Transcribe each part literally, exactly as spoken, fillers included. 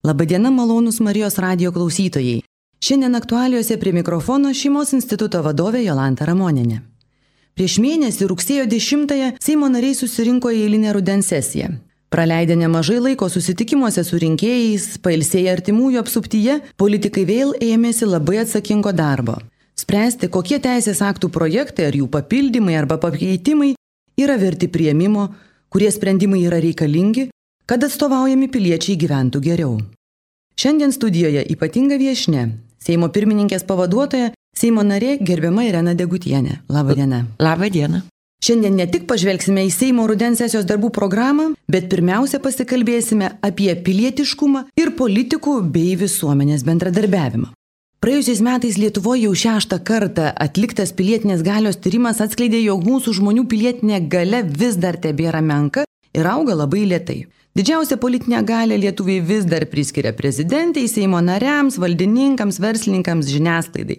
Labadiena malonūs Marijos radijo klausytojai. Šiandien aktualijose prie mikrofono Šeimos instituto vadovė Jolanta Ramonienė. Prieš mėnesį rugsėjo dešimtąją Seimo nariai susirinko į eilinę rudens sesiją. Praleidę nemažai laiko susitikimuose su rinkėjais, pailsėję artimųjų apsuptyje, politikai vėl ėmėsi labai atsakingo darbo. Spręsti, kokie teisės aktų projektai ar jų papildymai arba pakeitimai yra verti priėmimo, kurie sprendimai yra reikalingi, kad atstovaujami piliečiai gyventų geriau. Šiandien studijoje ypatinga viešnia, Seimo pirmininkės pavaduotoja, Seimo narė gerbiama Irena Degutienė. Labą dieną. Labą dieną. Šiandien ne tik pažvelgsime į Seimo rudens sesijos darbų programą, bet pirmiausia pasikalbėsime apie pilietiškumą ir politikų bei visuomenės bendradarbiavimą. Praėjusiais metais Lietuvoje jau šeštą kartą atliktas pilietinės galios tyrimas atskleidė, jog mūsų žmonių pilietinė galia vis dar tebėra menka ir auga labai lėtai. Didžiausią politinę galią lietuviai vis dar priskiria prezidentei, Seimo nariams, valdininkams, verslininkams, žiniasklaidai.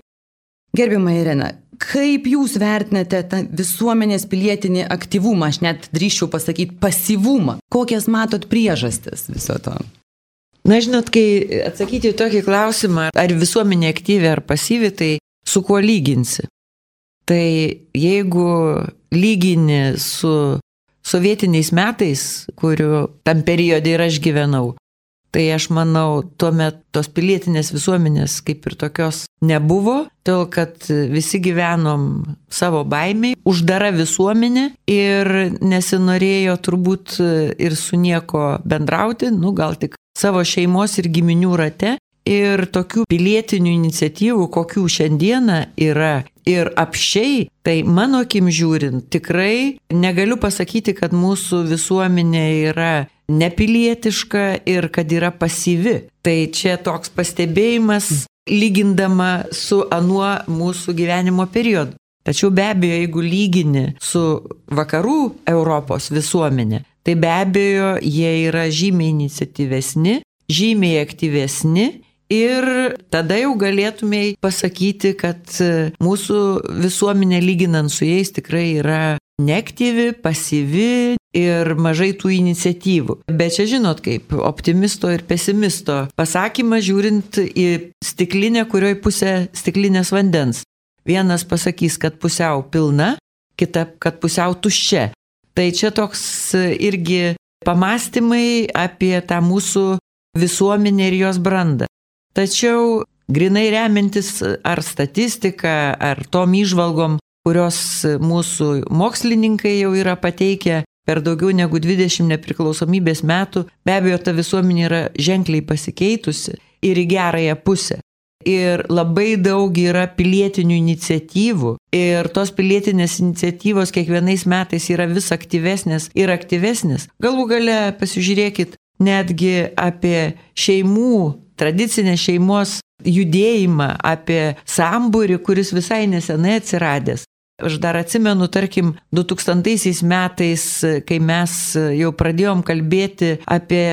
Gerbiama Irena, kaip jūs vertinate tą visuomenės pilietinį aktyvumą, aš net drįsčiau pasakyti pasyvumą? Kokias matot priežastis viso to? Na, žinot, kai atsakyti į tokį klausimą, ar visuomenė aktyvi ar pasyvi, tai su kuo lyginsi? Tai jeigu lygini su sovietiniais metais, kuriuo tam periode ir aš gyvenau, tai aš manau, tuomet tos pilietinės visuomenės kaip ir tokios nebuvo, todėl kad visi gyvenom savo baimiai, uždara visuomenė ir nesinorėjo turbūt ir su nieko bendrauti, nu gal tik savo šeimos ir giminių rate. Ir tokių pilietinių iniciatyvų, kokių šiandieną yra ir apšiai, tai mano akim žiūrint, tikrai negaliu pasakyti, kad mūsų visuomenė yra nepilietiška ir kad yra pasyvi. Tai čia toks pastebėjimas lygindama su anuo mūsų gyvenimo periodu. Tačiau be abejo, jeigu lygini su vakarų Europos visuomenė, tai be abejo, jie yra žymiai iniciatyvesni, žymiai aktyvesni. Ir tada jau galėtumėj pasakyti, kad mūsų visuomenė lyginant su jais tikrai yra neaktyvi, pasyvi ir mažai tų iniciatyvų. Bet čia žinot kaip optimisto ir pesimisto pasakymas žiūrint į stiklinę, kurioje pusė stiklinės vandens. Vienas pasakys, kad pusiau pilna, kita, kad pusiau tuščia. Tai čia toks irgi pamastymai apie tą mūsų visuomenę ir jos brandą. Tačiau grinai remintis ar statistika, ar tom įžvalgom, kurios mūsų mokslininkai jau yra pateikę per daugiau negu dvidešimt nepriklausomybės metų, be abejo, ta visuomenė yra ženkliai pasikeitusi ir į gerąją pusę. Ir labai daug yra pilietinių iniciatyvų ir tos pilietinės iniciatyvos kiekvienais metais yra vis aktyvesnės ir aktyvesnės. Galų gale pasižiūrėkit netgi apie šeimų, tradicinę šeimos judėjimą, apie sambūrį, kuris visai nesenai atsiradęs. Aš dar atsimenu, tarkim, du tūkstantaisiais metais, kai mes jau pradėjom kalbėti apie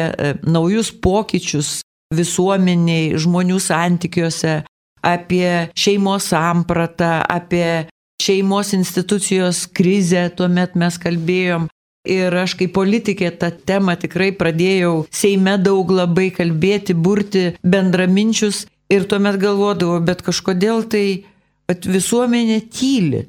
naujus pokyčius visuomeniai, žmonių santykiuose, apie šeimos sampratą, apie šeimos institucijos krizę, tuomet mes kalbėjom. Ir aš kaip politikė tą temą tikrai pradėjau Seime daug labai kalbėti, burti bendraminčius ir tuomet galvodavau, bet kažkodėl tai visuomenė tyli.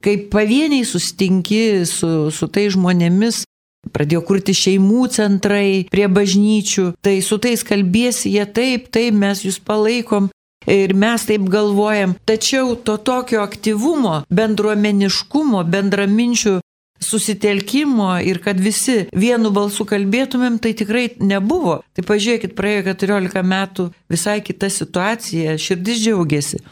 Kai pavieniai sustinki su, su tai žmonėmis, pradėjo kurti šeimų centrai prie bažnyčių, tai su tais kalbėsi, jie taip, taip, mes jūs palaikom ir mes taip galvojam. Tačiau to tokio aktyvumo, bendruomeniškumo, bendraminčių susitelkimo ir kad visi vienu balsu kalbėtumėm, tai tikrai nebuvo. Tai pažiūrėkit, praėjo keturiolika metų, visai kita situacija, širdis džiaugiasi.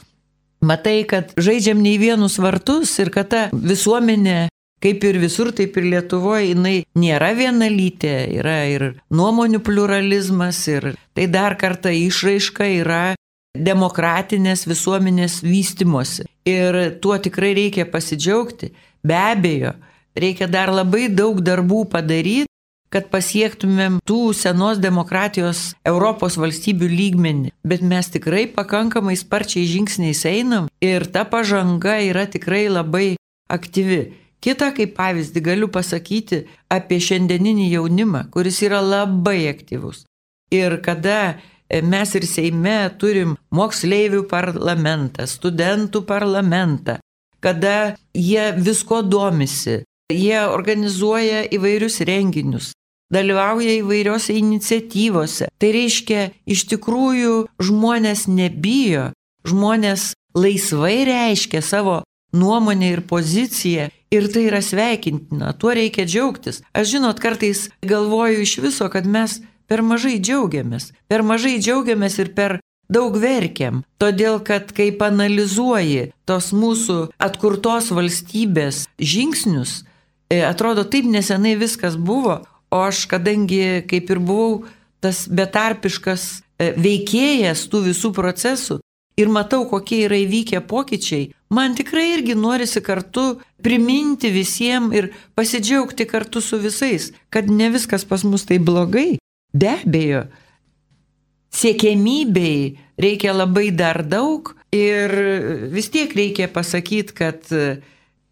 Matai, kad žaidžiam ne į vienus vartus ir kad ta visuomenė, kaip ir visur, taip ir Lietuvoje, jinai nėra vienalytė, yra ir nuomonių pluralizmas ir tai dar kartą išraiška yra demokratinės visuomenės vystimosi. Ir tuo tikrai reikia pasidžiaugti. Be abejo, reikia dar labai daug darbų padaryti, kad pasiektumėm tų senos demokratijos Europos valstybių lygmenį. Bet mes tikrai pakankamai sparčiai žingsniais einam ir ta pažanga yra tikrai labai aktyvi. Kita kaip pavyzdį galiu pasakyti apie šiandieninį jaunimą, kuris yra labai aktyvus. Ir kada mes ir Seime turim moksleivių parlamentą, studentų parlamentą, kada jie visko domisi, jie organizuoja įvairius renginius, dalyvauja įvairiose iniciatyvose. Tai reiškia, iš tikrųjų žmonės nebijo, žmonės laisvai reiškia savo nuomonę ir poziciją ir tai yra sveikintina, tuo reikia džiaugtis. Aš žinot, kartais galvoju iš viso, kad mes per mažai džiaugiamės, per mažai džiaugiamės ir per daug verkiam, todėl kad kai analizuoji tos mūsų atkurtos valstybės žingsnius, atrodo taip nesenai viskas buvo, o aš kadangi kaip ir buvau tas betarpiškas veikėjas tų visų procesų ir matau, kokie yra įvykę pokyčiai, man tikrai irgi norisi kartu priminti visiems ir pasidžiaugti kartu su visais, kad ne viskas pas mus tai blogai. Be abejo, siekiamybei reikia labai dar daug ir vis tiek reikia pasakyti, kad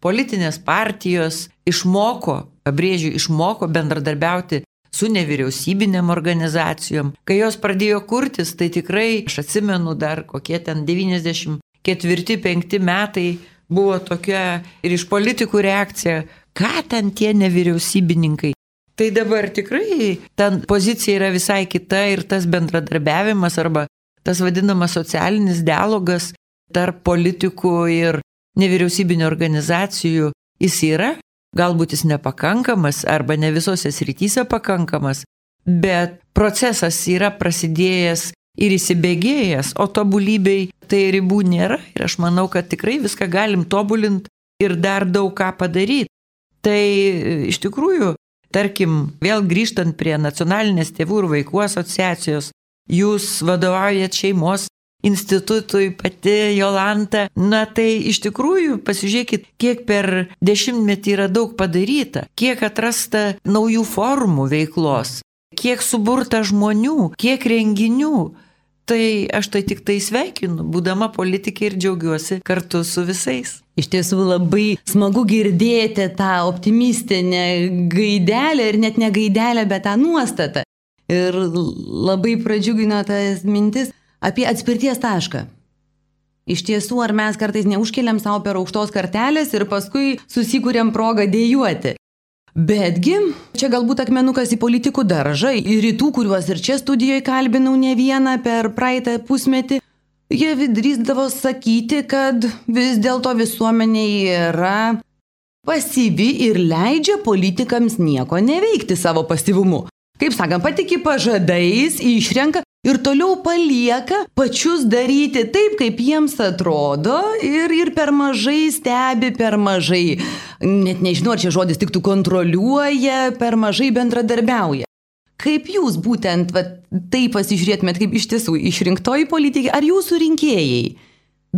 politinės partijos išmoko, pabrėžiu, išmoko bendradarbiauti su nevyriausybinėm organizacijom. Kai jos pradėjo kurtis, tai tikrai, aš atsimenu dar kokie ten devyniasdešimt ketvirti penkti metai buvo tokia ir iš politikų reakcija, ką ten tie nevyriausybininkai. Tai dabar tikrai ta pozicija yra visai kita ir tas bendradarbiavimas arba tas vadinamas socialinis dialogas tarp politikų ir nevyriausybinio organizacijų jis yra. Galbūt jis nepakankamas arba ne visose srityse pakankamas, bet procesas yra prasidėjęs ir įsibėgėjęs, o tobulybei tai ribų nėra ir aš manau, kad tikrai viską galim tobulinti ir dar daug ką padaryti. Tai iš tikrųjų, tarkim, vėl grįžtant prie Nacionalinės tėvų ir vaikų asociacijos, jūs vadovaujat šeimos institutui, pati Jolanta, na tai iš tikrųjų pasižiūrėkit, kiek per dešimtmetį yra daug padaryta, kiek atrasta naujų formų veiklos, kiek suburta žmonių, kiek renginių. Tai aš tai tik tai sveikinu, būdama politikė ir džiaugiuosi kartu su visais. Iš tiesų labai smagu girdėti tą optimistinę gaidelę ir net ne gaidelę, bet tą nuostatą. Ir labai pradžiugino tas mintis apie atspirties tašką. Iš tiesų, ar mes kartais neužkeliam savo per aukštos kartelės ir paskui susikūrėm progą dėjuoti. Betgi, čia galbūt akmenukas į politikų daržą, į rytų, kuriuos ir čia studijoje kalbinau ne vieną per praeitą pusmetį, jie drįsdavo sakyti, kad vis dėlto visuomenė yra pasyvi ir leidžia politikams nieko neveikti savo pasyvumu. Kaip sakant, patiki pažadais, išrenka ir toliau palieka pačius daryti taip, kaip jiems atrodo ir, ir per mažai stebi, per mažai, net nežinau, ar čia žodis tiktų kontroliuoja, per mažai bendradarbiauja. Kaip jūs būtent va, taip pasižiūrėtumėt, kaip iš tiesų išrinktoji politikė, ar jūsų rinkėjai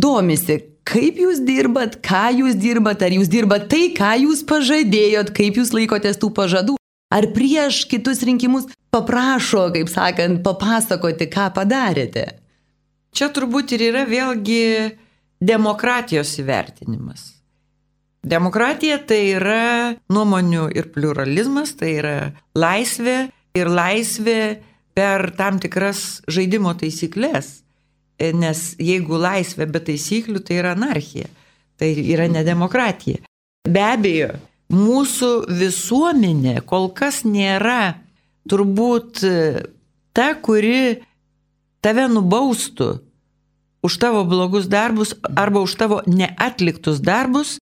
domisi, kaip jūs dirbat, ką jūs dirbat, ar jūs dirbat tai, ką jūs pažadėjot, kaip jūs laikotės tų pažadų? Ar prieš kitus rinkimus paprašo, kaip sakant, papasakoti, ką padarėte? Čia turbūt ir yra vėlgi demokratijos įvertinimas. Demokratija tai yra nuomonių ir pluralizmas, tai yra laisvė ir laisvė per tam tikras žaidimo taisyklės. Nes jeigu laisvė be taisyklių, tai yra anarchija, tai yra ne demokratija. Be abejo, mūsų visuomenė kol kas nėra turbūt ta, kuri tave nubaustų už tavo blogus darbus arba už tavo neatliktus darbus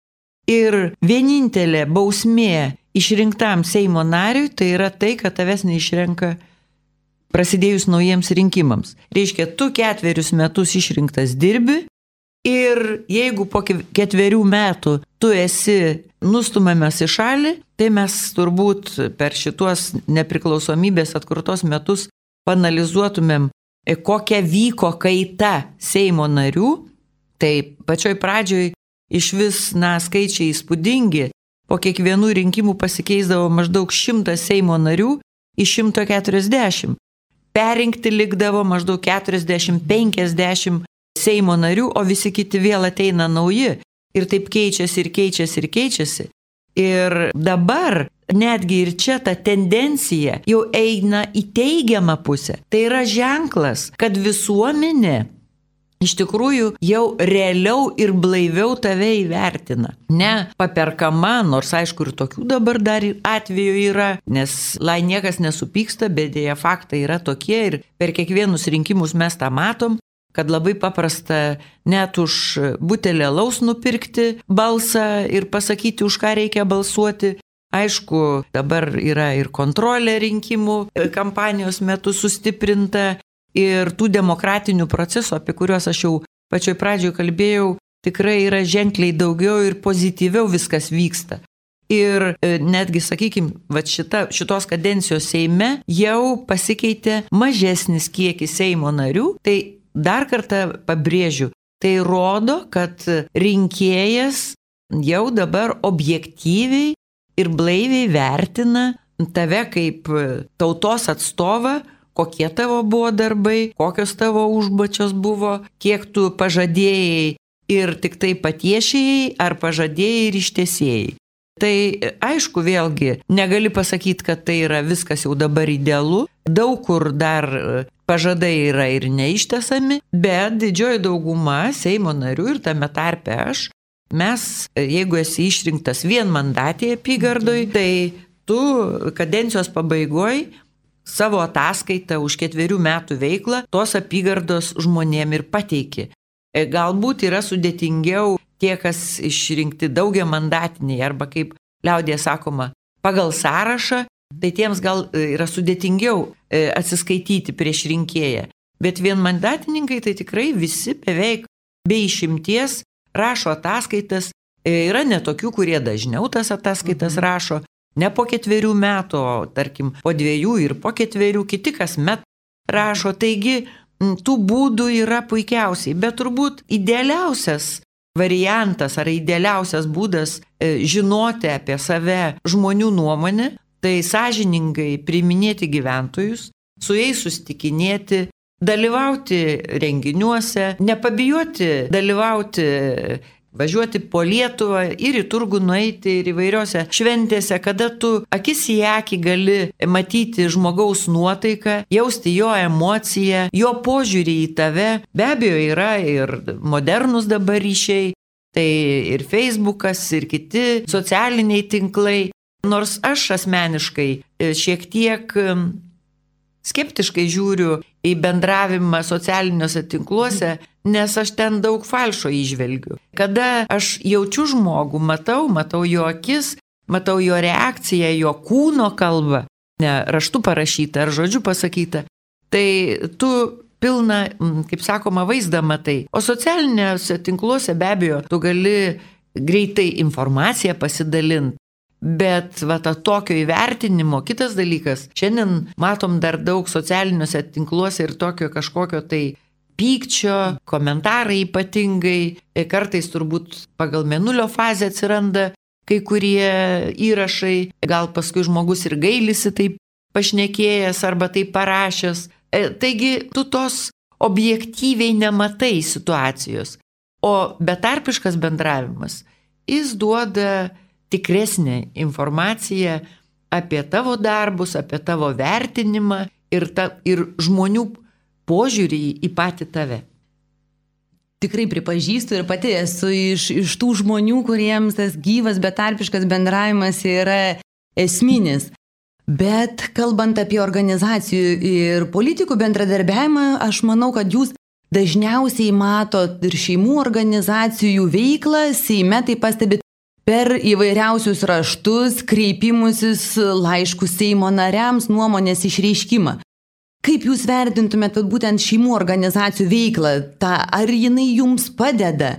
ir vienintelė bausmė išrinktam Seimo nariui tai yra tai, kad tavęs neišrenka prasidėjus naujiems rinkimams. Reiškia, tu ketverius metus išrinktas dirbi ir jeigu po ketverių metų tu esi nustumiamas į šalį, tai mes turbūt per šituos nepriklausomybės atkurtos metus panalizuotumėm, kokia vyko kaita Seimo narių. Tai pačioj pradžioj iš vis, na, skaičiai įspūdingi. Po kiekvienų rinkimų pasikeisdavo maždaug šimtas Seimo narių iš šimto keturiasdešimt. Perrinkti likdavo maždaug keturiasdešimt penkiasdešimt Seimo narių, o visi kiti vėl ateina nauji. Ir taip keičiasi ir keičiasi ir keičiasi. Ir dabar netgi ir čia ta tendencija jau eina į teigiamą pusę. Tai yra ženklas, kad visuomenė iš tikrųjų jau realiau ir blaiviau tave įvertina. Ne paperkama, nors aišku ir tokių dabar dar atvejų yra, nes lai niekas nesupyksta, bet dėja faktai yra tokie ir per kiekvienus rinkimus mes tą matom, kad labai paprasta net už butelį alaus nupirkti balsą ir pasakyti, už ką reikia balsuoti. Aišku, dabar yra ir kontrolė rinkimų kampanijos metu sustiprinta. Ir tų demokratinių procesų, apie kuriuos aš jau pačioj pradžioje kalbėjau, tikrai yra ženkliai daugiau ir pozityviau viskas vyksta. Ir netgi, sakykime, va šita, šitos kadencijos Seime jau pasikeitė mažesnis kiekis Seimo narių. Tai dar kartą pabrėžiu, tai rodo, kad rinkėjas jau dabar objektyviai ir blaiviai vertina tave kaip tautos atstovą, kokie tavo buvo darbai, kokios tavo užduočios buvo, kiek tu pažadėjai ir tik tai patiešėjai, ar pažadėjai ir ištesėjai. Tai aišku, vėlgi, negali pasakyti, kad tai yra viskas jau dabar idealu, daug kur dar pažadai yra ir neištesami, bet didžioji dauguma Seimo narių ir tame tarpe aš, mes, jeigu esi išrinktas vienmandatėje apygardoj, tai tu kadencijos pabaigoj savo ataskaitą už ketverių metų veiklą tos apygardos žmonėm ir pateiki. Galbūt yra sudėtingiau tie, kas išrinkti daugiamandatiniai arba kaip liaudėje sakoma, pagal sąrašą, tai tiems gal yra sudėtingiau atsiskaityti prieš rinkėją. Bet vienmandatininkai tai tikrai visi beveik be išimties rašo ataskaitas. Yra netokių, kurie dažniau tas ataskaitas rašo. Ne po ketverių metų, o tarkim po dviejų ir po ketverių, kiti kasmet rašo. Taigi tų būdų yra puikiausiai, bet turbūt idealiausias variantas ar idealiausias būdas žinoti apie save žmonių nuomonę, tai sąžiningai priiminėti gyventojus, su jais susitikinėti, dalyvauti renginiuose, nepabijoti dalyvauti, važiuoti po Lietuvą ir į turgų nueiti ir įvairiose šventėse, kada tu akis į akį gali matyti žmogaus nuotaiką, jausti jo emociją, jo požiūrį į tave. Be abejo yra ir modernus dabar ryšiai, tai ir Facebookas, ir kiti socialiniai tinklai. Nors aš asmeniškai šiek tiek skeptiškai žiūriu į bendravimą socialiniuose tinkluose, nes aš ten daug falšo įžvelgiu. Kada aš jaučiu žmogų, matau, matau jo akis, matau jo reakciją, jo kūno kalbą, ne raštu parašytą ar žodžiu pasakytą, tai tu pilną, kaip sakoma, vaizdą matai. O socialiniuose tinkluose be abejo tu gali greitai informaciją pasidalinti. Bet va, ta tokio įvertinimo, kitas dalykas, šiandien matom dar daug socialiniuose tinkluose ir tokio kažkokio tai pykčio, komentarai ypatingai, kartais turbūt pagal mėnulio fazę atsiranda kai kurie įrašai, gal paskui žmogus ir gailisi taip pašnekėjęs arba taip parašęs. Taigi tu tos objektyviai nematai situacijos, o betarpiškas bendravimas, jis duoda tikresnė informacija apie tavo darbus, apie tavo vertinimą ir, ta, ir žmonių požiūrį į patį tave. Tikrai pripažįstu ir pati esu iš, iš tų žmonių, kuriems tas gyvas betarpiškas bendravimas yra esminis. Bet kalbant apie organizacijų ir politikų bendradarbiavimą, aš manau, kad jūs dažniausiai matot ir šeimų organizacijų veiklą, Seime tai pastebit per įvairiausius raštus, kreipimusis, laiškus Seimo nariams, nuomonės išreiškimą. Kaip jūs vertintumėt būtent šeimų organizacijų veiklą? Ta, ar jinai jums padeda,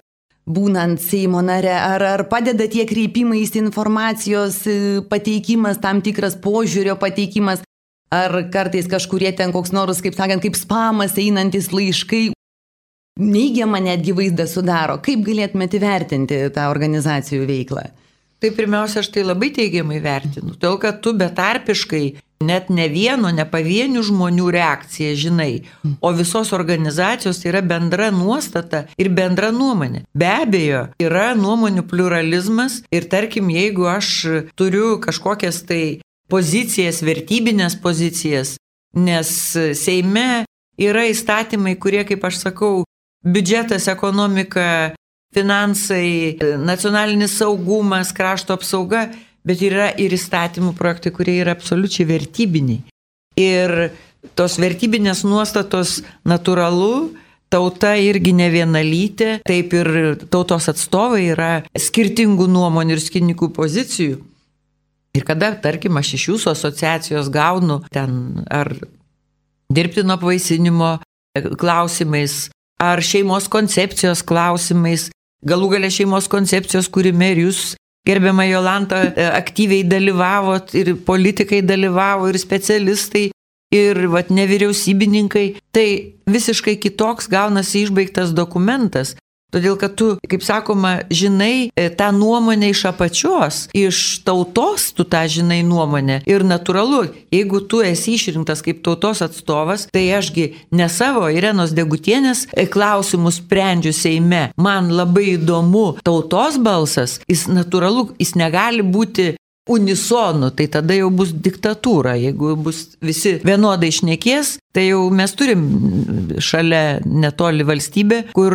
būnant Seimo nare, ar, ar padeda tie kreipimais, informacijos pateikimas, tam tikras požiūrio pateikimas, ar kartais kažkurie ten koks nors, kaip sakant, kaip spamas einantis laiškai, neigiamą netgi vaizdą sudaro. Kaip galėtumėte įvertinti tą organizacijų veiklą? Tai pirmiausia, aš tai labai teigiamai vertinu, todėl kad tu betarpiškai net ne vieno, ne pavienių žmonių reakcija, žinai, o visos organizacijos tai yra bendra nuostata ir bendra nuomonė. Be abejo, yra nuomonių pluralizmas ir tarkim, jeigu aš turiu kažkokias tai pozicijas, vertybinės pozicijas, nes Seime yra įstatymai, kurie, kaip aš sakau, biudžetas, ekonomika, finansai, nacionalinis saugumas, krašto apsauga, bet yra ir įstatymų projektai, kurie yra absoliučiai vertybiniai. Ir tos vertybinės nuostatos natūralu, tauta irgi ne vienalytė, taip ir tautos atstovai yra skirtingų nuomonių ir skirtingų pozicijų. Ir kada, tarkim, aš iš jūsų asociacijos gaunu ten ar dirbtino apvaisinimo klausimais, ar šeimos koncepcijos klausimais, galų gale šeimos koncepcijos kūrime ir jūs, gerbiama Jolanta, aktyviai dalyvavot ir politikai dalyvavo ir specialistai ir vat, nevyriausybininkai, tai visiškai kitoks gaunasi išbaigtas dokumentas. Todėl, kad tu, kaip sakoma, žinai tą nuomonę iš apačios, iš tautos tu tą žinai nuomonę. Ir natūralu, jeigu tu esi išrinktas kaip tautos atstovas, tai ašgi ne savo Irenos Degutienės klausimus sprendžiu Seime. Man labai įdomu tautos balsas, jis natūralu, jis negali būti unisonu, tai tada jau bus diktatūra. Jeigu bus visi vienodai šnekės, tai jau mes turim šalia netoli valstybę, kur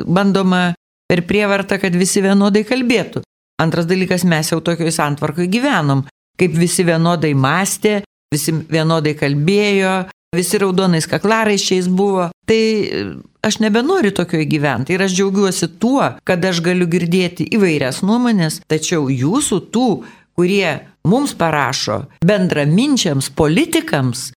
bandoma per prievartą, kad visi vienodai kalbėtų. Antras dalykas, mes jau tokioj santvarkoj gyvenom, kaip visi vienodai mąstė, visi vienodai kalbėjo, visi raudonais kaklaraiščiais buvo. Tai aš nebenoriu tokioje gyventi ir aš džiaugiuosi tuo, kad aš galiu girdėti įvairias nuomonės, tačiau jūsų tų, kurie mums parašo bendraminčiams, politikams,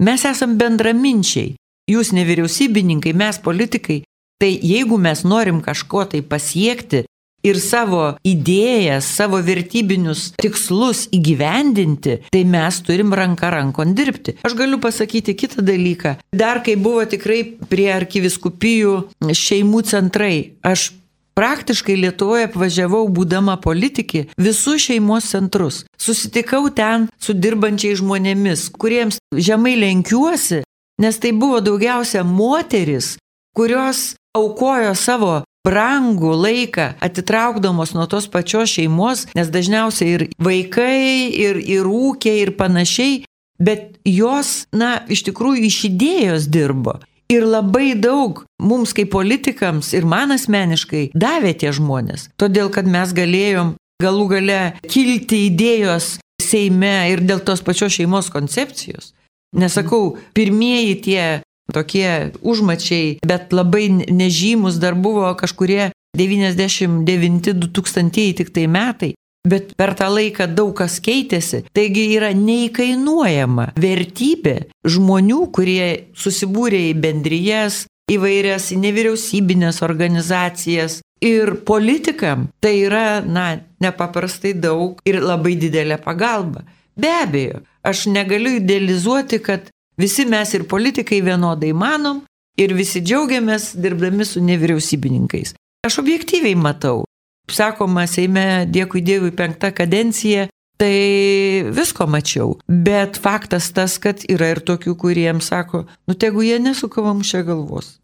mes esam bendraminčiai. Jūs nevyriausybininkai, mes politikai. Tai jeigu mes norim kažko tai pasiekti ir savo idėjas, savo vertybinius tikslus įgyvendinti, tai mes turim ranką rankon dirbti. Aš galiu pasakyti kitą dalyką. Dar kai buvo tikrai prie arkiviskupijų šeimų centrai, aš praktiškai Lietuvoje apvažiavau, būdama politikė, visus šeimos centrus. Susitikau ten su dirbančiais žmonėmis, kuriems žemai lenkiuosi, nes tai buvo daugiausia moteris, kurios aukojo savo brangų laiką, atitraukdamos nuo tos pačios šeimos, nes dažniausiai ir vaikai, ir, ir ūkiai, ir panašiai, bet jos, na, iš tikrųjų iš idėjos dirbo. Ir labai daug mums kaip politikams ir man asmeniškai davė tie žmonės. Todėl, kad mes galėjom galų gale kilti idėjos Seime ir dėl tos pačios šeimos koncepcijos. Nesakau, pirmieji tie tokie užmačiai, bet labai nežymus dar buvo kažkurie devyniasdešimt devinti du tūkstantieji tik tai metai. Bet per tą laiką daug kas keitėsi. Taigi yra neįkainuojama vertybė žmonių, kurie susibūrė į bendrijas, įvairias nevyriausybinės organizacijas. Ir politikam tai yra, na, nepaprastai daug ir labai didelė pagalba. Be abejo, aš negaliu idealizuoti, kad visi mes ir politikai vienodai manom ir visi džiaugiamės dirbdami su nevyriausybininkais. Aš objektyviai matau. Sakoma, Seime, dėkui Dievui, penkta kadencija, tai visko mačiau. Bet faktas tas, kad yra ir tokių, kuriems sako, nu tegu jie nesuka mums čia galvos.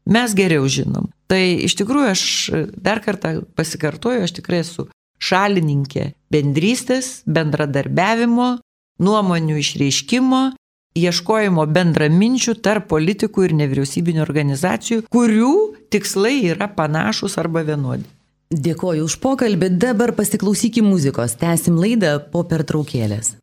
Mes geriau žinom. Tai iš tikrųjų aš dar kartą pasikartoju, aš tikrai esu šalininkė bendrystės, bendradarbiavimo, nuomonių išreiškimo, ieškojimo bendraminčių tarp politikų ir nevyriausybinių organizacijų, kurių tikslai yra panašus arba vienodi. Dėkoju už pokalbį, dabar pasiklausykim muzikos, tęsim laidą po pertraukėlės.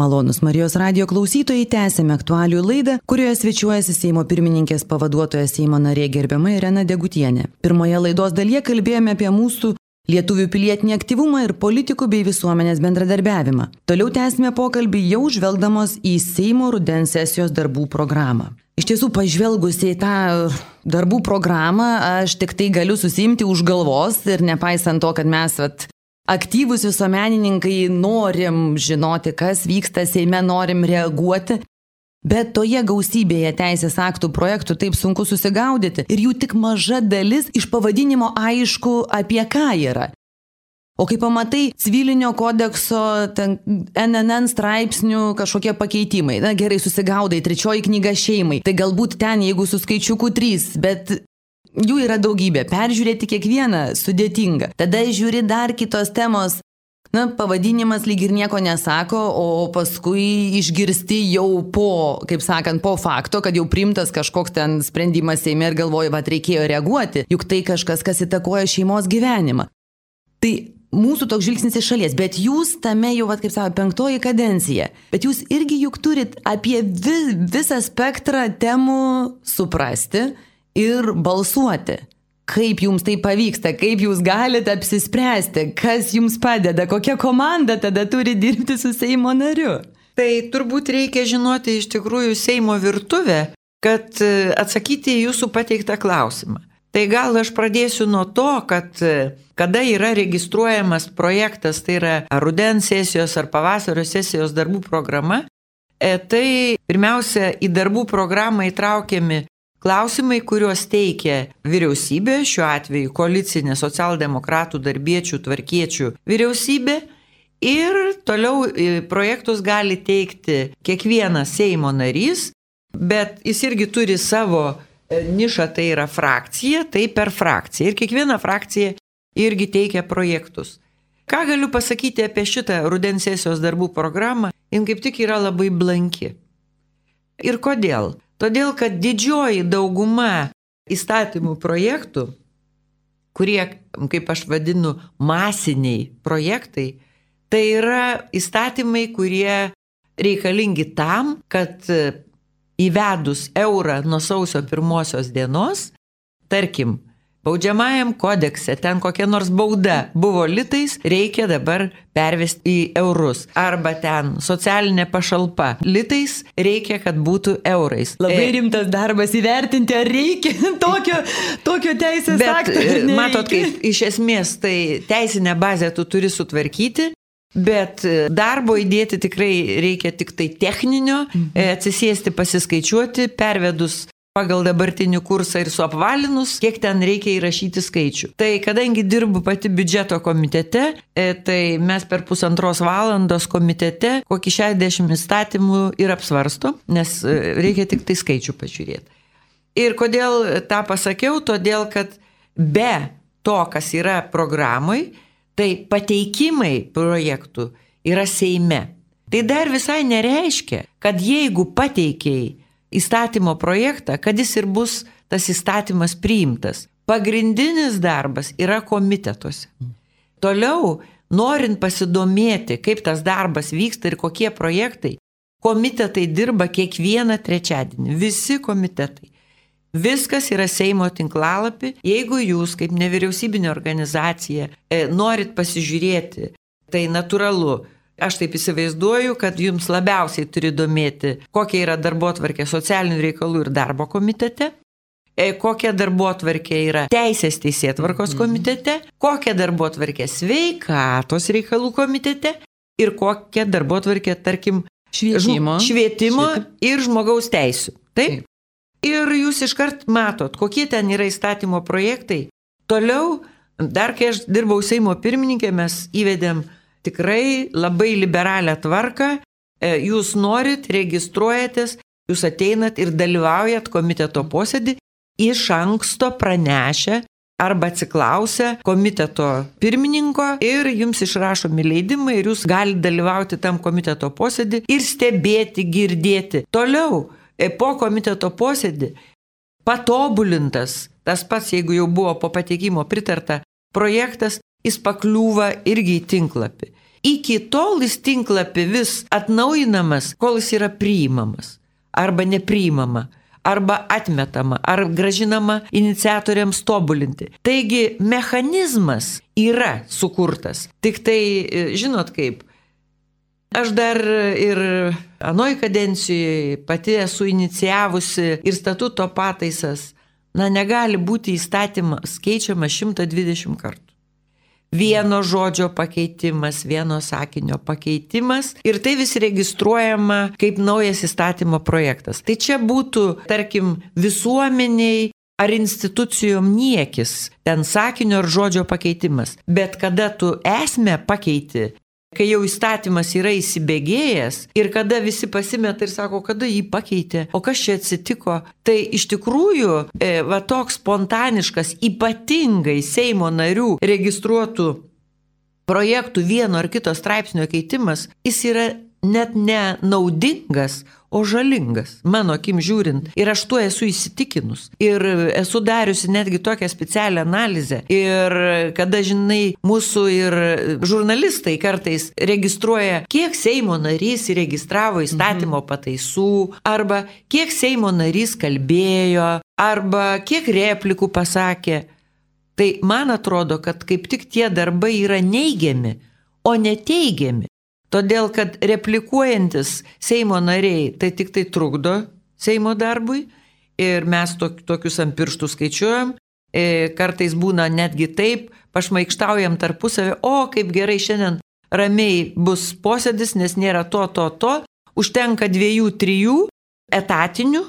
Malonus Marijos radijo klausytojai, tęsėme aktualijų laidą, kurioje svečiuojasi Seimo pirmininkės pavaduotoja Seimo narė gerbiama Irena Degutienė. Pirmoje laidos dalyje kalbėjome apie mūsų lietuvių pilietinį aktyvumą ir politikų bei visuomenės bendradarbiavimą. Toliau tęsime pokalbį jau žvelgdamos į Seimo rudens sesijos darbų programą. Iš tiesų, pažvelgus į tą darbų programą, aš tik tai galiu susimti už galvos ir nepaisant to, kad mes vat, aktyvūs visuomenininkai norim žinoti, kas vyksta Seime, norim reaguoti, bet toje gausybėje teisės aktų projektų taip sunku susigaudyti ir jų tik maža dalis iš pavadinimo aišku apie ką yra. O kai pamatai civilinio kodekso ten, N N N straipsnių kažkokie pakeitimai, na gerai susigaudai, trečioji knyga šeimai, tai galbūt ten jeigu su skaičiuku trys, bet jų yra daugybė, peržiūrėti kiekvieną sudėtinga. Tada žiūri dar kitos temos, na, pavadinimas lyg ir nieko nesako, o paskui išgirsti jau po, kaip sakant, po fakto, kad jau priimtas kažkoks ten sprendimas Seime ir galvoji, va, reikėjo reaguoti, juk tai kažkas, kas įtakoja šeimos gyvenimą. Tai mūsų toks žvilgsnis iš šalies, bet jūs tame jau, va, kaip savo, penktoji kadencija, bet jūs irgi juk turit apie vis, visą spektrą temų suprasti ir balsuoti. Kaip jums tai pavyksta, kaip jūs galite apsispręsti, kas jums padeda, kokia komanda tada turi dirbti su Seimo nariu? Tai turbūt reikia žinoti iš tikrųjų Seimo virtuvę, kad atsakyti į jūsų pateiktą klausimą. Tai gal aš pradėsiu nuo to, kad kada yra registruojamas projektas, tai yra ar rudens sesijos ar pavasario sesijos darbų programa, tai pirmiausia į darbų programą įtraukiami klausimai, kuriuos teikia vyriausybė, šiuo atveju koalicinė socialdemokratų, darbiečių, tvarkiečių vyriausybė, ir toliau projektus gali teikti kiekvienas Seimo narys, bet jis irgi turi savo nišą, tai yra frakcija, tai per frakciją. Ir kiekviena frakcija irgi teikia projektus. Ką galiu pasakyti apie šitą rudens sesijos darbų programą? Jin kaip tik yra labai blanki. Ir kodėl? Todėl, kad didžioji dauguma įstatymų projektų, kurie, kaip aš vadinu, masiniai projektai, tai yra įstatymai, kurie reikalingi tam, kad įvedus eurą nuo sausio pirmosios dienos, tarkim, baudžiamajam kodekse, ten kokia nors bauda buvo litais, reikia dabar pervesti į eurus. Arba ten socialinė pašalpa litais, reikia, kad būtų eurais. Labai rimtas darbas įvertinti, ar reikia tokio, tokio teisės akto. Bet matot, kaip iš esmės tai teisinę bazę tu turi sutvarkyti, bet darbo įdėti tikrai reikia tik tai techninio, mhm. atsisėsti, pasiskaičiuoti, pervedus pagal dabartinį kursą ir suapvalinus, kiek ten reikia įrašyti skaičių. Tai kadangi dirbu pati biudžeto komitete, tai mes per pusantros valandos komitete kokį šešiasdešimt įstatymų ir apsvarsto, nes reikia tik tai skaičių pažiūrėti. Ir kodėl tą pasakiau? Todėl, kad be to, kas yra programai, tai pateikimai projektų yra Seime. Tai dar visai nereiškia, kad jeigu pateikiai įstatymo projektą, kad jis ir bus tas įstatymas priimtas. Pagrindinis darbas yra komitetuose. Toliau, norint pasidomėti, kaip tas darbas vyksta ir kokie projektai, komitetai dirba kiekvieną trečiadienį. Visi komitetai. Viskas yra Seimo tinklalapį. Jeigu jūs, kaip nevyriausybinė organizacija, norit pasižiūrėti, tai natūralu. Aš taip įsivaizduoju, kad jums labiausiai turi domėti, kokia yra darbotvarkė socialinių reikalų ir darbo komitete, kokia darbotvarkė yra teisės teisėtvarkos komitete, kokia darbotvarkė sveikatos reikalų komitete ir kokia darbotvarkė, tarkim, švietimo, švietimo ir žmogaus teisių. Taip? Ir jūs iškart matot, kokie ten yra įstatymo projektai. Toliau, dar kai aš dirbau Seimo pirmininkė, mes įvedėm tikrai labai liberalią tvarką, jūs norit, registruojatės, jūs ateinat ir dalyvaujat komiteto posėdį, iš anksto pranešę arba atsiklausę komiteto pirmininko ir jums išrašomi leidimai ir jūs galite dalyvauti tam komiteto posėdį ir stebėti, girdėti. Toliau, po komiteto posėdį, patobulintas, tas pats, jeigu jau buvo po pateikimo pritarta projektas, jis pakliūva irgi į tinklapį. iki tol jis tinklapį vis atnaujinamas, kol jis yra priimamas arba nepriimama, arba atmetama, ar gražinama iniciatoriams tobulinti. Taigi mechanizmas yra sukurtas. Tik tai, žinot kaip, aš dar ir anoj kadencijoje pati esu inicijavusi ir statuto pataisas. Na, negali būti įstatymas keičiamas šimtą dvidešimt kartų. Vieno žodžio pakeitimas, vieno sakinio pakeitimas ir tai vis registruojama kaip naujas įstatymo projektas. Tai čia būtų, tarkim, visuomeniai ar institucijom niekis, ten sakinio ar žodžio pakeitimas. Bet kada tu esmę pakeiti, kai jau įstatymas yra įsibėgėjęs ir kada visi pasimeta ir sako, kada jį pakeitė, o kas čia atsitiko, tai iš tikrųjų e, va toks spontaniškas, ypatingai Seimo narių registruotų projektų vieno ar kito straipsnio keitimas, jis yra net ne naudingas, o žalingas, mano akim žiūrint. Ir aš tuo esu įsitikinus. Ir esu dariusi netgi tokią specialią analizę. Ir kada, žinai, mūsų ir žurnalistai kartais registruoja, kiek Seimo narys įregistravo įstatymo pataisų, arba kiek Seimo narys kalbėjo, arba kiek replikų pasakė. Tai man atrodo, kad kaip tik tie darbai yra neigiami, o neteigiami. Todėl, kad replikuojantis Seimo nariai, tai tik tai trukdo Seimo darbui ir mes tok, tokius ant pirštų skaičiuojam, e, kartais būna netgi taip, pašmaikštaujam tarpusavį, o kaip gerai šiandien ramiai bus posėdis, nes nėra to, to, to, užtenka dviejų, trijų etatinių,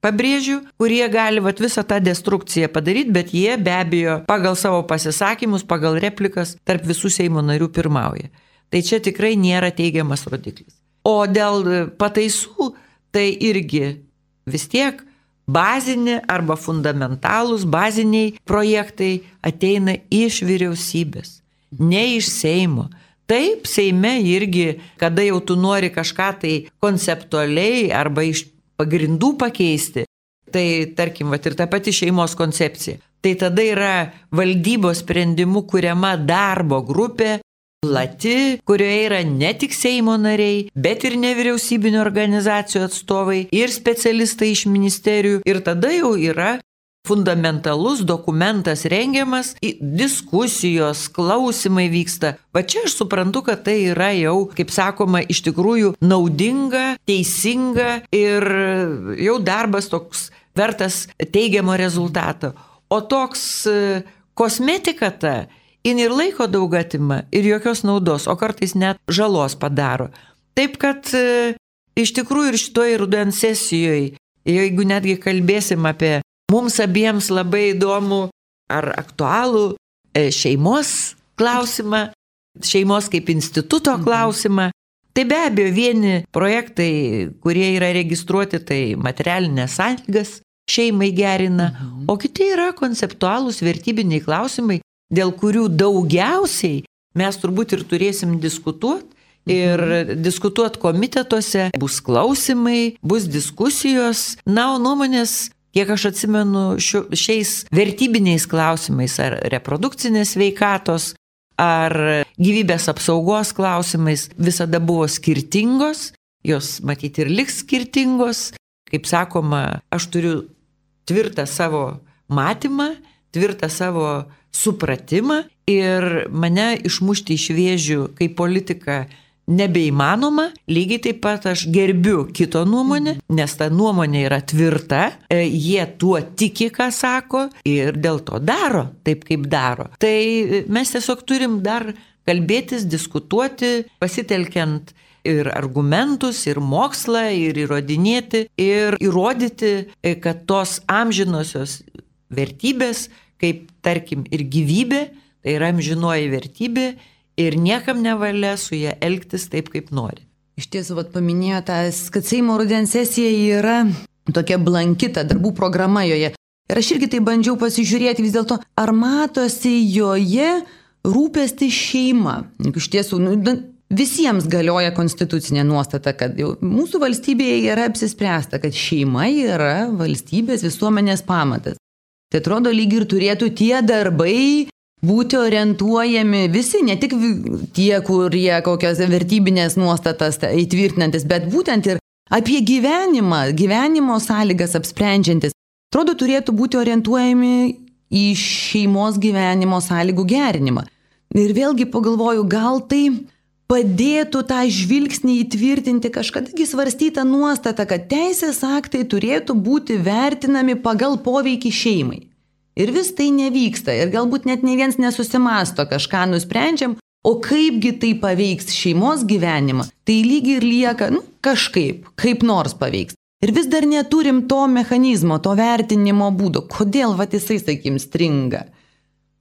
pabrėžiu, kurie gali vat, visą tą destrukciją padaryti, bet jie be abejo pagal savo pasisakymus, pagal replikas tarp visų Seimo narių pirmauja. Tai čia tikrai nėra teigiamas rodiklis. O dėl pataisų, tai irgi vis tiek bazinė arba fundamentalūs baziniai projektai ateina iš vyriausybės, ne iš Seimo. Taip, Seime irgi, kada jau tu nori kažką tai konceptualiai arba iš pagrindų pakeisti, tai tarkim, vat, ir ta pati šeimos koncepcija, tai tada yra valdybos sprendimų kuriama darbo grupė, plati, kurioje yra ne tik Seimo nariai, bet ir nevyriausybinio organizacijų atstovai ir specialistai iš ministerijų. Ir tada jau yra fundamentalus dokumentas rengiamas, diskusijos, klausimai vyksta. Va čia aš suprantu, kad tai yra jau, kaip sakoma, iš tikrųjų naudinga, teisinga ir jau darbas toks vertas teigiamo rezultato. O toks kosmetika ta, jin ir laiko daug atima, ir jokios naudos, o kartais net žalos padaro. Taip kad e, iš tikrųjų ir šitoje rudens sesijoje, jeigu netgi kalbėsim apie mums abiems labai įdomų ar aktualų e, šeimos klausimą, šeimos kaip instituto klausimą, tai be abejo vieni projektai, kurie yra registruoti, tai materialinės sąlygas šeimai gerina, mhm. o kiti yra konceptualūs vertybiniai klausimai, dėl kurių daugiausiai mes turbūt ir turėsim diskutuoti ir mhm. diskutuoti komitetuose, bus klausimai, bus diskusijos, na, o nuomonės, kiek aš atsimenu, šio, šiais vertybiniais klausimais ar reprodukcinės sveikatos, ar gyvybės apsaugos klausimais visada buvo skirtingos, jos matyti ir liks skirtingos. Kaip sakoma, aš turiu tvirtą savo matymą, tvirtą savo supratimą ir mane išmušti iš vėžių kaip politika nebeįmanoma. Lygiai taip pat aš gerbiu kito nuomonę, nes ta nuomonė yra tvirta, jie tuo tiki, ką sako ir dėl to daro taip, kaip daro. Tai mes tiesiog turim dar kalbėtis, diskutuoti, pasitelkiant ir argumentus, ir mokslą, ir įrodinėti, ir įrodyti, kad tos amžinosios vertybės, kaip tarkim ir gyvybė, tai yra amžinoji vertybė ir niekam nevalia su ją elgtis taip, kaip nori. Iš tiesų, vat paminėjote, kad Seimo rudens sesija yra tokia blankita, darbų programa joje. Ir aš irgi tai bandžiau pasižiūrėti vis dėlto, ar matosi joje rūpesti šeima. Iš tiesų, nu, visiems galioja konstitucinė nuostata, kad jau mūsų valstybėje yra apsispręsta, kad šeima yra valstybės visuomenės pamatas. Tai atrodo, lyg ir turėtų tie darbai būti orientuojami visi, ne tik tie, kurie kokias vertybinės nuostatas įtvirtinantis, bet būtent ir apie gyvenimą, gyvenimo sąlygas apsprendžiantis. Atrodo, turėtų būti orientuojami į šeimos gyvenimo sąlygų gerinimą. Ir vėlgi pagalvoju, gal tai padėtų tą žvilgsnį įtvirtinti kažkadagi svarstytą nuostatą, kad teisės aktai turėtų būti vertinami pagal poveikį šeimai. Ir vis tai nevyksta. Ir galbūt net ne viens nesusimasto, kažką nusprendžiam, o kaipgi tai paveiks šeimos gyvenimą. Tai lygiai ir lieka, nu, kažkaip, kaip nors paveiks. Ir vis dar neturim to mechanizmo, to vertinimo būdo. Kodėl vat jisai, sakykim, stringa?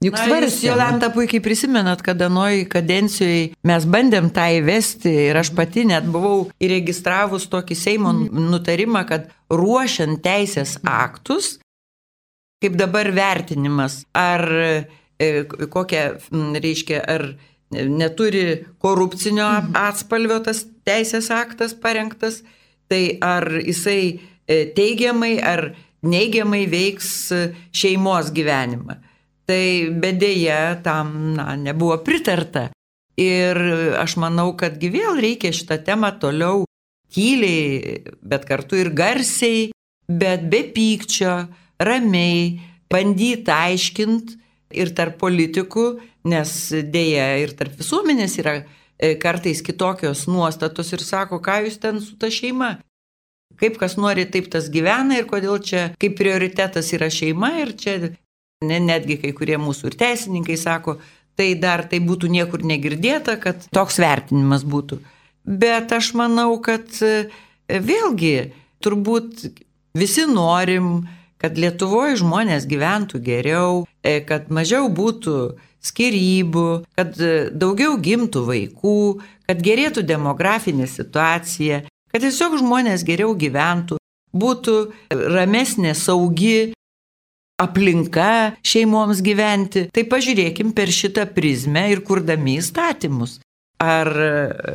Juk svarstė. Jolanta puikiai prisimenat, kad anoj kadencijoje mes bandėm tą įvesti ir aš pati net buvau įregistravus tokį Seimo nutarimą, kad ruošiant teisės aktus, kaip dabar vertinimas, ar e, kokia, reiškia, ar neturi korupcinio atspalvio tas teisės aktas parengtas, tai ar jisai teigiamai ar neigiamai veiks šeimos gyvenimą. Tai bedėja tam na, nebuvo pritarta. Ir aš manau, kadgi vėl reikia šitą temą toliau tyliai, bet kartu ir garsiai, bet be pykčio, ramiai, bandyti aiškinti ir tarp politikų, nes dėja ir tarp visuomenės yra kartais kitokios nuostatos ir sako, ką jūs ten su ta šeima. Kaip kas nori, taip tas gyvena ir kodėl čia kaip prioritetas yra šeima ir čia... Netgi kai kurie mūsų ir teisininkai sako, tai dar tai būtų niekur negirdėta, kad toks vertinimas būtų. Bet aš manau, kad vėlgi turbūt visi norim, kad Lietuvoje žmonės gyventų geriau, kad mažiau būtų skyrybų, kad daugiau gimtų vaikų, kad gerėtų demografinė situacija, kad tiesiog žmonės geriau gyventų, būtų ramesnė, saugi aplinka šeimoms gyventi. Tai pažiūrėkim per šitą prizmę ir kurdami įstatymus. Ar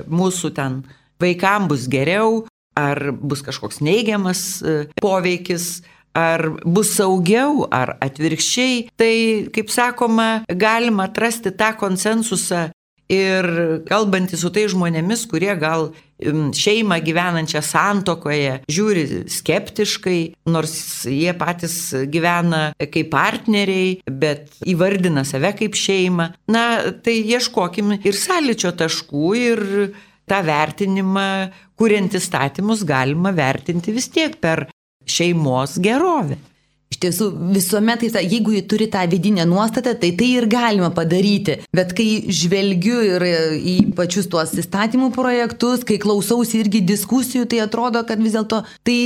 mūsų ten vaikam bus geriau, ar bus kažkoks neigiamas poveikis, ar bus saugiau, ar atvirkščiai. Tai, kaip sakoma, galima atrasti tą konsensusą ir kalbantį su tai žmonėmis, kurie gal šeimą gyvenančią santuokoje žiūri skeptiškai, nors jie patys gyvena kaip partneriai, bet įvardina save kaip šeimą. Na, tai ieškokim ir sąlyčio taškų ir tą vertinimą, kuriant įstatymus, galima vertinti vis tiek per šeimos gerovę. Iš tiesų, visuomet, jeigu jį turi tą vidinę nuostatą, tai tai ir galima padaryti. Bet kai žvelgiu ir į pačius tuos įstatymų projektus, kai klausausi irgi diskusijų, tai atrodo, kad vis dėlto tai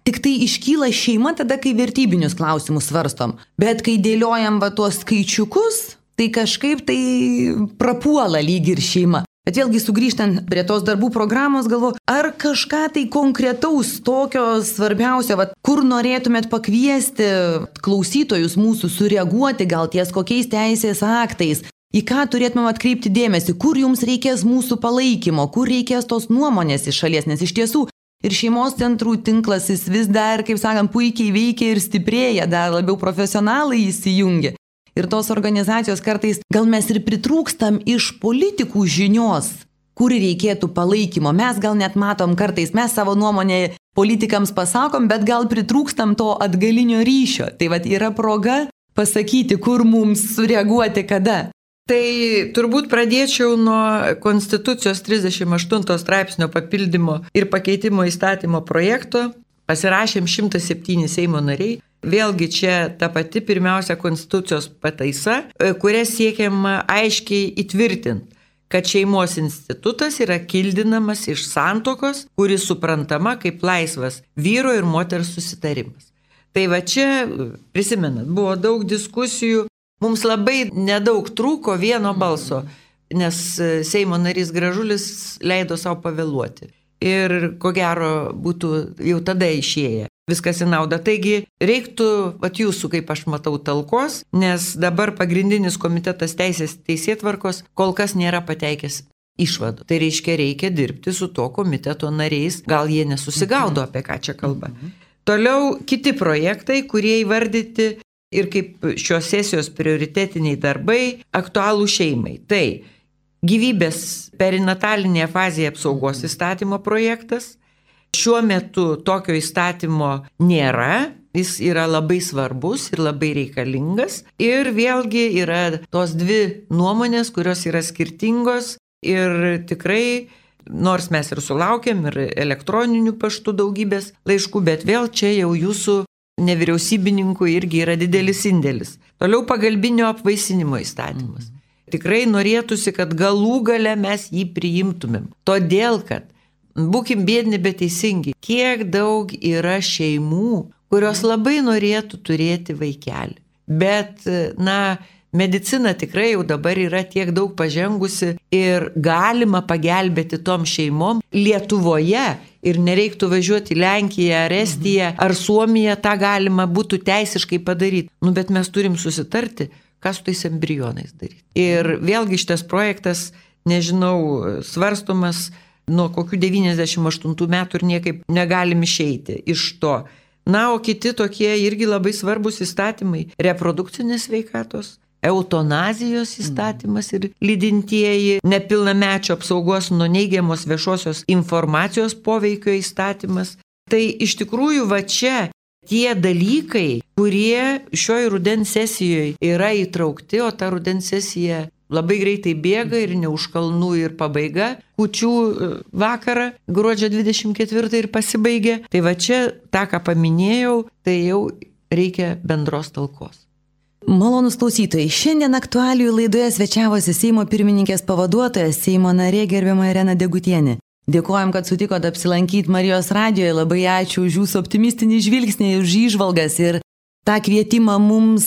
tik tai iškyla šeima tada, kai vertybinius klausimus svarstom. Bet kai dėliojam va tuos skaičiukus, tai kažkaip tai prapuola lyg ir šeima. Bet vėlgi sugrįžtant prie tos darbų programos, galvoju, ar kažką tai konkretaus tokio svarbiausio, va, kur norėtumėt pakviesti klausytojus mūsų sureaguoti gal ties kokiais teisės aktais, į ką turėtumėm atkreipti dėmesį, kur jums reikės mūsų palaikymo, kur reikės tos nuomonės iš šalies, nes iš tiesų ir šeimos centrų tinklas jis vis dar, kaip sakant, puikiai veikia ir stiprėja, dar labiau profesionalai įsijungia. Ir tos organizacijos kartais gal mes ir pritrūkstam iš politikų žinios, kur reikėtų palaikymo. Mes gal net matom kartais, mes savo nuomonę politikams pasakom, bet gal pritrūkstam to atgalinio ryšio. Tai vat yra proga pasakyti, kur mums sureaguoti, kada. Tai turbūt pradėčiau nuo Konstitucijos trisdešimt aštunto straipsnio papildymo ir pakeitimo įstatymo projekto. Pasirašėm šimtas septyni Seimo nariai. Vėlgi čia ta pati pirmiausia Konstitucijos pataisa, kuria siekiama aiškiai įtvirtinti, kad šeimos institutas yra kildinamas iš santuokos, kuris suprantama kaip laisvas vyro ir moters susitarimas. Tai va čia, prisimenat, buvo daug diskusijų, mums labai nedaug trūko vieno balso, nes Seimo narys Gražulis leido savo pavėluoti. Ir ko gero būtų jau tada išėję. Viskas į naudą. Taigi reiktų, vat jūsų, kaip aš matau, talkos, nes dabar pagrindinis komitetas teisės teisėtvarkos kol kas nėra pateikęs išvadų. Tai reiškia, reikia dirbti su to komiteto nariais, gal jie nesusigaudo, apie ką čia kalba. Toliau kiti projektai, kurie įvardyti ir kaip šios sesijos prioritetiniai darbai aktualų šeimai. Tai gyvybės perinatalinėje fazėje apsaugos įstatymo projektas. Šiuo metu tokio įstatymo nėra, jis yra labai svarbus ir labai reikalingas. Ir vėlgi yra tos dvi nuomonės, kurios yra skirtingos ir tikrai, nors mes ir sulaukėm ir elektroninių paštų daugybės laiškų, bet vėl čia jau jūsų nevyriausybininkų irgi yra didelis indėlis. Toliau pagalbinio apvaisinimo įstatymas. Tikrai norėtųsi, kad galų gale mes jį priimtumėm. Todėl, kad būkim biedni, bet teisingi. Kiek daug yra šeimų, kurios labai norėtų turėti vaikelį. Bet, na, medicina tikrai jau dabar yra tiek daug pažengusi ir galima pagelbėti tom šeimom Lietuvoje ir nereiktų važiuoti į Lenkiją, ar Estiją, ar Suomiją, tą galima būtų teisiškai padaryti. Nu, bet mes turim susitarti, ką su tais embrionais daryti. Ir vėlgi šitas projektas, nežinau, svarstomas nuo kokių devyniasdešimt aštuntų metų ir niekaip negalim išeiti iš to. Na, o kiti tokie irgi labai svarbus įstatymai - reprodukcinės sveikatos, eutanazijos įstatymas ir lydintieji, nepilnamečio apsaugos nuo neigiamos viešosios informacijos poveikio įstatymas. Tai iš tikrųjų va čia tie dalykai, kurie šioj rudens sesijoje yra įtraukti, o ta rudens sesija labai greitai bėga ir ne už kalnų ir pabaiga. Kūčių vakarą, gruodžio dvidešimt ketvirtą ir pasibaigė. Tai va čia, tą, ką paminėjau, tai jau reikia bendros talkos. Malonūs klausytojai, šiandien aktualijų laidoje svečiavosi Seimo pirmininkės pavaduotojas, Seimo narė gerbiama Irena Degutienė. Dėkojom, kad sutikote apsilankyti Marijos radijoje, labai ačiū už jūsų optimistinį žvilgsnį, už įžvalgas ir tą kvietimą mums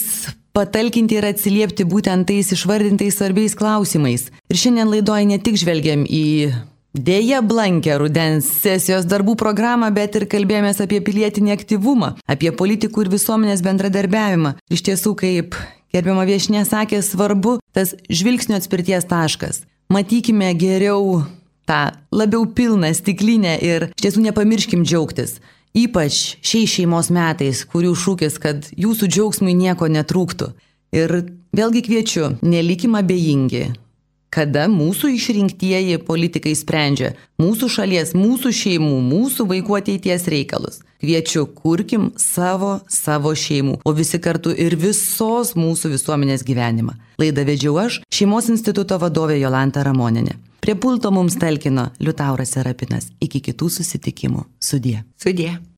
patalkinti ir atsiliepti būtent tais išvardintais svarbiais klausimais. Ir šiandien laidoje ne tik žvelgiam į dėja blankę rudens sesijos darbų programą, bet ir kalbėjomės apie pilietinį aktyvumą, apie politikų ir visuomenės bendradarbiavimą. Iš tiesų, kaip gerbiama viešnia sakė, svarbu tas žvilgsnio atspirties taškas. Matykime geriau tą labiau pilną stiklinę ir iš tiesų nepamirškim džiaugtis. Ypač šiais šeimos metais, kurių šūkis, kad jūsų džiaugsmui nieko netrūktų. Ir vėlgi kviečiu, nelikim abejingi, kada mūsų išrinktieji politikai sprendžia mūsų šalies, mūsų šeimų, mūsų vaikų ateities reikalus. Kviečiu, kurkim savo, savo šeimų, o visi kartu ir visos mūsų visuomenės gyvenimą. Laidą vedžiau aš, Šeimos instituto vadovė Jolanta Ramonienė. Prie pulto mums talkino Liutauras Serapinas. Iki kitų susitikimų. Sudie. Sudie.